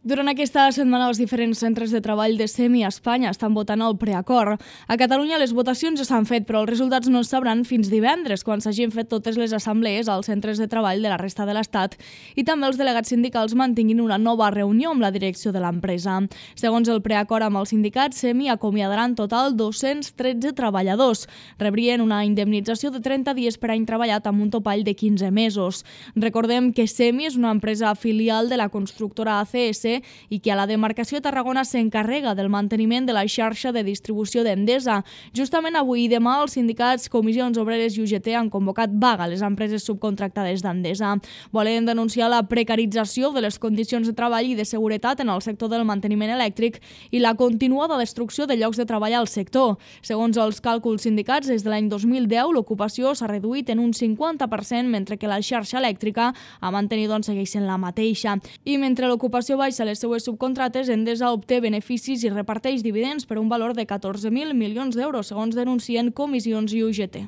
Durant aquesta setmana, els diferents centres de treball de SEMI a Espanya estan votant el preacord. A Catalunya les votacions ja s'han fet, però els resultats no es sabran fins divendres, quan s'hagin fet totes les assemblees als centres de treball de la resta de l'Estat i també els delegats sindicals mantinguin una nova reunió amb la direcció de l'empresa. Segons el preacord amb els sindicats, SEMI acomiadarà en total 213 treballadors. Rebrien una indemnització de 30 dies per any treballat amb un topall de 15 mesos. Recordem que SEMI és una empresa filial de la constructora ACS i que a la demarcació de Tarragona s'encarrega del manteniment de la xarxa de distribució d'Endesa. Justament avui i demà els sindicats, comissions obreres i UGT han convocat vaga a les empreses subcontractades d'Endesa. Volen denunciar la precarització de les condicions de treball i de seguretat en el sector del manteniment elèctric i la continuada destrucció de llocs de treball al sector. Segons els càlculs sindicats, des de l'any 2010 l'ocupació s'ha reduït en un 50%, mentre que la xarxa elèctrica ha mantenit segueix sent la mateixa. I mentre l'ocupació baixa les seues subcontrates, Endesa obté beneficis i reparteix dividends per un valor de 14.000 milions d'euros, segons denuncien comissions i UGT.